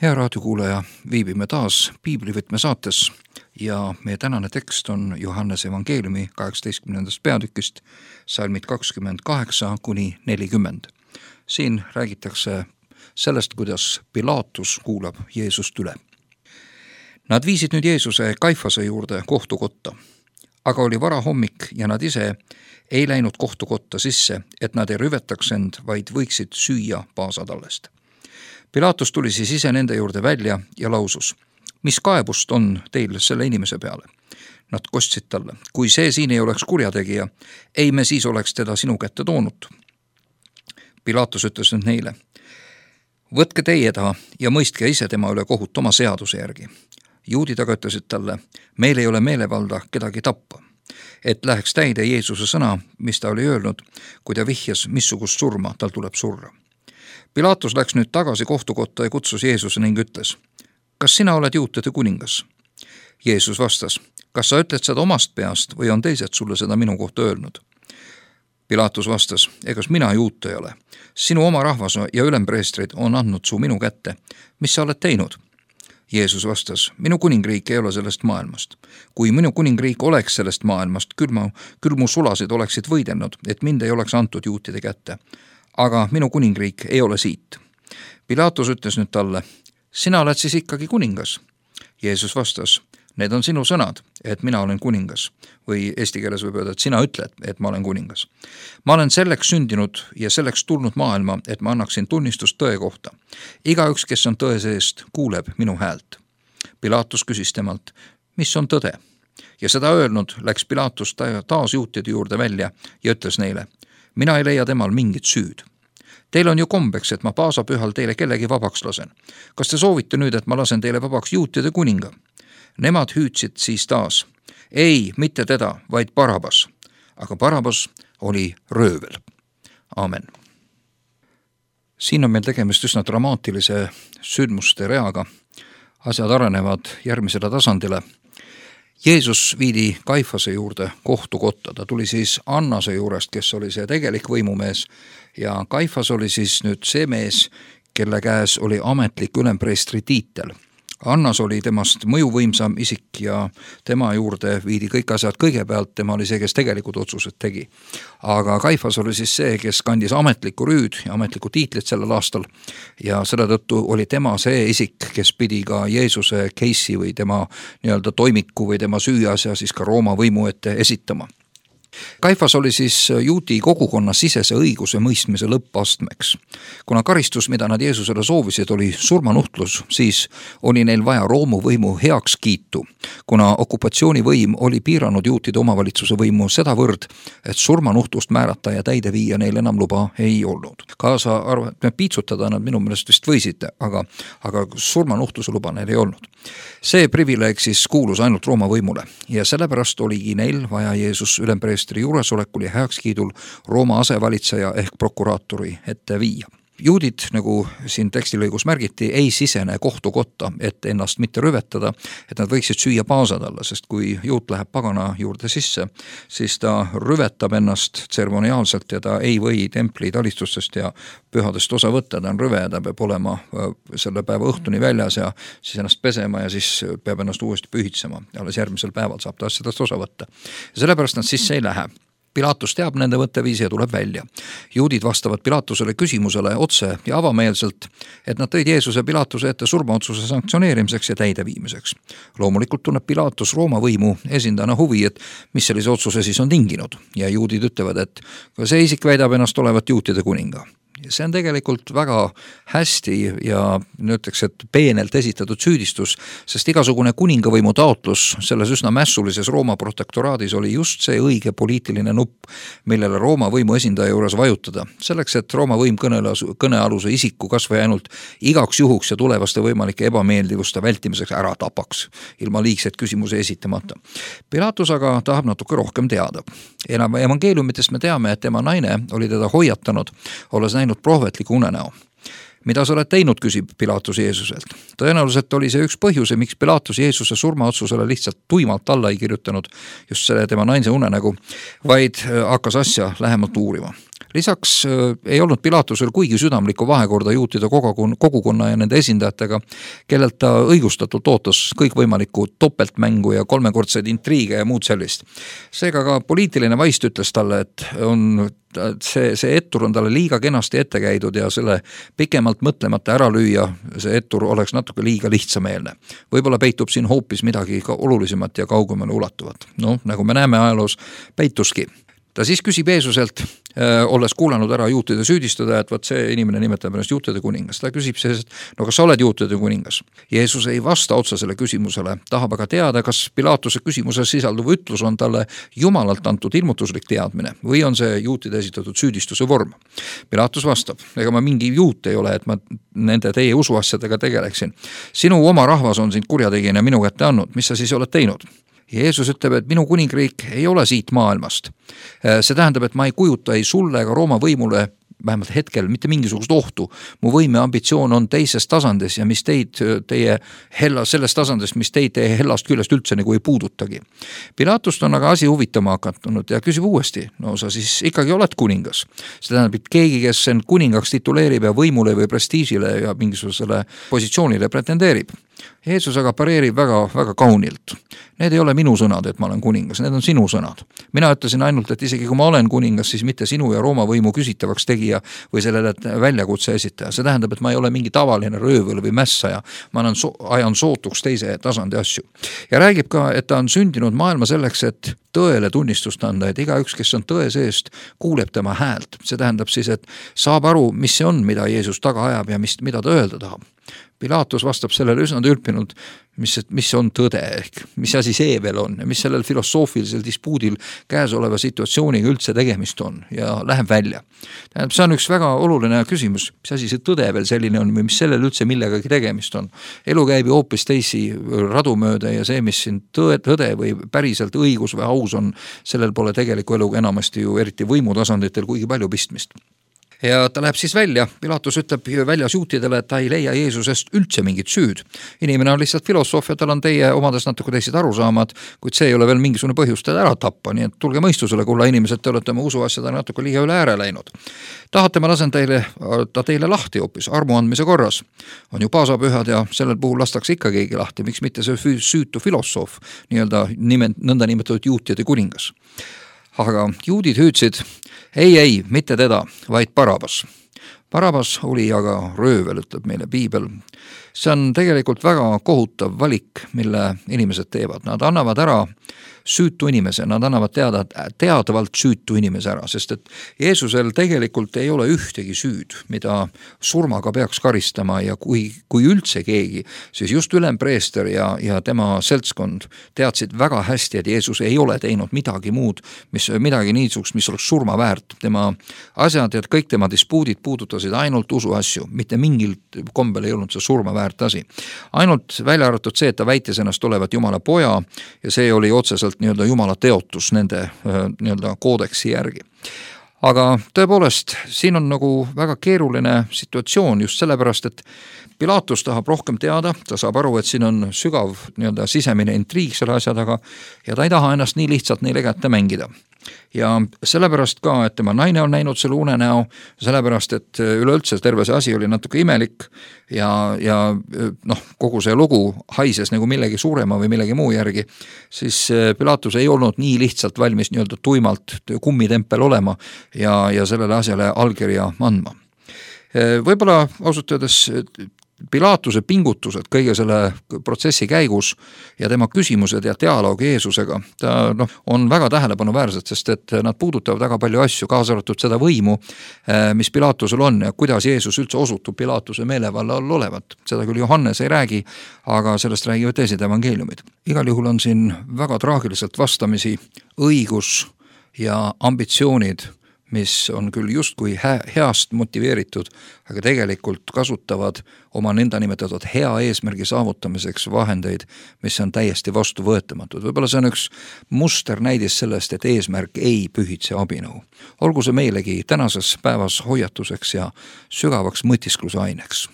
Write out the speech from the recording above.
Hea raadiokuulaja, viibime taas Piiblivõtme saates ja meie tänane tekst on Johannese evangeeliumi 18. peatükist, salmid 28-40. Siin räägitakse sellest, kuidas Pilaatus kuulab Jeesust üle. Nad viisid nüüd Jeesuse Kaifase juurde kohtukotta, aga oli varahommik ja nad ise ei läinud kohtukotta sisse, et nad ei rüvetaks end, vaid võiksid süüa paasatallest. Pilaatus tuli siis ise nende juurde välja ja lausus, mis kaebust on teil selle inimese peale? Nad kostsid talle, kui see siin ei oleks kurjategija, ei me siis oleks teda sinu kätte toonud. Pilaatus ütles nüüd neile, võtke teie ta ja mõistke ise tema üle kohut oma seaduse järgi. Juudid aga ütlesid talle, meil ei ole meelevalda kedagi tappa, et läheks täide Jeesuse sõna, mis ta oli öelnud, kui ta vihjas, missugust surma tal tuleb surra. Pilaatus läks nüüd tagasi kohtukotta ja kutsus Jeesuse ning ütles, kas sina oled juutide kuningas? Jeesus vastas, kas sa ütled seda omast peast või on teised sulle seda minu kohta öelnud? Pilaatus vastas, egas mina juut ei ole. Sinu oma rahvas ja ülempreestrid on andnud su minu kätte. Mis sa oled teinud? Jeesus vastas, minu kuningriik ei ole sellest maailmast. Kui minu kuningriik oleks sellest maailmast, küll mu sulasid oleksid võidelnud, et mind ei oleks antud juutide kätte. Aga minu kuningriik ei ole siit. Pilaatus ütles nüüd talle, sina oled siis ikkagi kuningas? Jeesus vastas, need on sinu sõnad, et mina olen kuningas. Või eesti keeles võib öelda, et sina ütled, et ma olen kuningas. Ma olen selleks sündinud ja selleks tulnud maailma, et ma annaksin tunnistust tõe kohta. Igaüks, kes on tõe seest, kuuleb minu häält. Pilaatus küsis temalt, mis on tõde? Ja seda öelnud läks Pilaatus taas juutide juurde välja ja ütles neile, mina ei leia temal mingit süüd. Teil on ju kombeks, et ma paasapühal teile kellegi vabaks lasen. Kas te soovite nüüd, et ma lasen teile vabaks juutide kuninga? Nemad hüüdsid siis taas. Ei, mitte teda, vaid Barabas. Aga Barabas oli röövel. Amen. Siin on meil tegemist üsna dramaatilise sündmuste reaga. Asjad arenevad järgmisele tasandile. Jeesus viidi Kaifase juurde kohtukotta. Ta tuli siis Annase juurest, kes oli see tegelik võimumees. Ja Kaifas oli siis nüüd see mees, kelle käes oli ametlik ülempreestri tiitel. Annas oli temast mõjuvõimsam isik ja tema juurde viidi kõik asjad kõigepealt, tema oli see, kes tegelikult otsused tegi. Aga Kaifas oli siis see, kes kandis ametlikku rüüd ja ametlikku tiitlit sellel aastal ja selle tõttu oli tema see isik, kes pidi ka Jeesuse case'i või tema nii-öelda toimiku või tema süüasja siis ka Rooma võimu ette esitama. Kaifas oli siis juudi kogukonna sisese õiguse mõistmise lõppastmeks. Kuna karistus, mida nad Jeesusele soovisid, oli surmanuhtlus, siis oli neil vaja Rooma võimu heakskiitu, kuna okupatsioonivõim oli piiranud juutide omavalitsuse võimu sedavõrd, et surmanuhtlust määrata ja täide viia neil enam luba ei olnud. Kaasa arvatud, piitsutada nad minu meelest vist võisid, aga surmanuhtluse luba neil ei olnud. See privileeg siis kuulus ainult Rooma võimule ja sellepärast oligi neil vaja Jeesus ülempreestri juuresolekul ja heakskiidul Rooma asevalitseja ehk prokuraatori ette viia. Juudid, nagu siin tekstilõigus märgiti, ei sisene kohtukotta, et ennast mitte rüvetada, et nad võiksid süüa paasad alla, sest kui juut läheb pagana juurde sisse, siis ta rüvetab ennast tseremoniaalselt ja ta ei või templi talistustest ja pühadest osa võtta, ta on rüve, ta peab olema selle päeva õhtuni väljas ja siis ennast pesema ja siis peab ennast uuesti pühitsema. Alles järgmisel päeval saab ta asjadest osa võtta. Ja sellepärast nad sisse ei lähe. Pilaatus teab nende võtteviisi ja tuleb välja. Juudid vastavad Pilaatusele küsimusele otse ja avameelselt, et nad tõid Jeesuse Pilaatuse ette surmaotsuse sanktsioneerimiseks ja täideviimiseks. Loomulikult tunneb Pilaatus Rooma võimu esindajana huvi, et mis sellise otsuse siis on tinginud. Ja juudid ütlevad, et see isik väidab ennast olevat juutide kuninga. See on tegelikult väga hästi ja ütleks, et peenelt esitatud süüdistus, sest igasugune kuningavõimu taotlus selles üsna mässulises Rooma protektoraadis oli just see õige poliitiline nupp, millele Rooma võimu esindaja juures vajutada. Selleks, et Rooma võim kõnealuse isiku kas või ainult igaks juhuks ja tulevaste võimalike ebameeldivuste vältimiseks ära tapaks, ilma liigseid küsimusi esitamata. Pilaatus aga tahab natuke rohkem teada. Evangeeliumitest me teame, et tema naine oli teda hoiatanud, olles näinud prohvetliku unenäo. Mida sa oled teinud, küsib Pilaatus Jeesuselt. Tõenäoliselt oli see üks põhjuse, miks Pilaatus Jeesuse surmaotsusele lihtsalt tuimalt alla ei kirjutanud just selle tema naise unenägu, vaid hakkas asja lähemalt uurima. Lisaks ei olnud Pilatusel kuigi südamlikku vahekorda juutide kogukonna ja nende esindajatega, kellelt ta õigustatult ootas kõikvõimalikku topeltmängu ja kolmekordseid intriige ja muud sellist. Seega ka poliitiline vaist ütles talle, et see ettur on talle liiga kenasti ette käidud ja selle pikemalt mõtlemata ära lüüa, see ettur oleks natuke liiga lihtsameelne. Võib-olla peitub siin hoopis midagi ka olulisemat ja kaugemale ulatuvat. Nagu me näeme ajaloos, peituski. Ta siis küsib Jeesuselt, olles kuulanud ära juutide süüdistada, et võt see inimene nimetab ennast juutide kuningas. Ta küsib siis, et kas sa oled juutide kuningas? Jeesus ei vasta otsesele küsimusele, tahab aga teada, kas Pilatuse küsimuses sisalduv ütlus on talle jumalalt antud ilmutuslik teadmine või on see juutide esitatud süüdistuse vorm. Pilatus vastab, ega ma mingi juut ei ole, et ma nende teie usuasjadega tegeleksin. Sinu oma rahvas on sind kurjategijana minu kätte andnud, mis sa siis oled teinud? Jeesus ütleb, et minu kuningriik ei ole siit maailmast. See tähendab, et ma ei kujuta ei sulle ega Rooma võimule vähemalt hetkel mitte mingisugust ohtu. Mu võime ambitsioon on teises tasandis ja mis sellest tasandist, mis teid teie hellast küljest üldse nagu ei puudutagi. Pilatust on aga asi huvitama hakanud ja küsib uuesti, sa siis ikkagi oled kuningas. See tähendab, et keegi, kes end kuningaks tituleerib ja võimule või prestiižile ja mingisugusele positsioonile pretendeerib. Jeesus aga pareerib väga, väga kaunilt. Need ei ole minu sõnad, et ma olen kuningas, need on sinu sõnad. Mina ütlesin ainult, et isegi kui ma olen kuningas, siis mitte sinu ja Rooma võimu küsitavaks tegija või sellele väljakutse esitaja. See tähendab, et ma ei ole mingi tavaline röövel või mässaja. Ma ajan sootuks teise tasandi asju. Ja räägib ka, et ta on sündinud maailma selleks, et tõele tunnistust anda, et igaüks, kes on tõe seest, kuuleb tema häält. See tähendab siis, et saab aru, mis see on, mida Jeesus taga ajab ja mida ta öelda tahab. Pilatus vastab sellele üsna tülpinud, mis on tõde ehk, mis asi see veel on ja mis sellel filosoofilisel dispuudil käesoleva situatsiooniga üldse tegemist on ja läheb välja. See on üks väga oluline küsimus, mis asi see tõde veel selline on või mis sellel üldse millegagi tegemist on. Elu käib ju hoopis teisi radumööda ja see, mis siin tõde või päriselt õigus või aus on, sellel pole tegeliku eluga enamasti ju eriti võimutasanditel kuigi palju pistmist. Ja ta läheb siis välja, Pilatus ütleb väljas juutidele, et ta ei leia Jeesusest üldse mingit süüd. Inimene on lihtsalt filosoof ja tal on teie omades natuke teised arusaamad, kuid see ei ole veel mingisugune põhjus teda ära tappa, nii et tulge mõistusele, kulla inimesed, te olete oma usuasjada natuke liiga üle ääre läinud. Tahate, ma lasen teile lahti hoopis armu andmise korras. On ju paasapühad ja sellel puhul lastakse ikka keegi lahti, miks mitte see süütu filosoof, nõnda nimetatud juutide kuningas. Aga juudid hüüdsid, ei, mitte teda, vaid Barabas. Barabas oli aga röövel, ütleb meile piibel. See on tegelikult väga kohutav valik, mille inimesed teevad. Nad annavad ära süütu inimese, nad annavad teadavalt süütu inimese ära, sest et Jeesusel tegelikult ei ole ühtegi süüd, mida surmaga peaks karistama ja kui üldse keegi, siis just ülempreester ja tema seltskond teadsid väga hästi, et Jeesus ei ole teinud midagi muud, midagi niisugust, mis oleks surma väärt. Tema asjad ja kõik tema dispuudid puudutasid ainult usuasju, mitte mingil kombel ei olnud see surma väärt asi. Ainult välja arvatud see, et ta väitis ennast olevat Jumala poja ja see oli otseselt Jumala teotus nende koodeksi järgi. Aga tõepoolest, siin on nagu väga keeruline situatsioon just sellepärast, et Pilatus tahab rohkem teada, ta saab aru, et siin on sügav sisemine intriig selle asja taga ja ta ei taha ennast nii lihtsalt neile kätte mängida. Ja sellepärast ka, et tema naine on näinud selle unenäo, sellepärast, et üleüldse terve see asi oli natuke imelik ja kogu see lugu haises nagu millegi suurema või millegi muu järgi, siis Pilatus ei olnud nii lihtsalt valmis tuimalt kummitempel olema ja sellele asjale allkirja andma. Võib-olla ausalt öeldes Pilatuse pingutused kõige selle protsessi käigus ja tema küsimused ja dialoog Jeesusega on väga tähelepanuväärsed, sest et nad puudutavad väga palju asju, kaasa arvatud seda võimu, mis Pilatusel on ja kuidas Jeesus üldse osutub Pilatuse meelevalla all olevat. Seda küll Johannes ei räägi, aga sellest räägivad teised evangeeliumid. Igal juhul on siin väga traagiliselt vastamisi õigus ja ambitsioonid, mis on küll justkui heast motiveeritud, aga tegelikult kasutavad oma nõnda nimetatud hea eesmärgi saavutamiseks vahendeid, mis on täiesti vastuvõetamatud. Võib-olla see on üks musternäidis sellest, et eesmärk ei pühitse abinõu. Olgu see meilegi tänases päevas hoiatuseks ja sügavaks mõtiskluse aineks.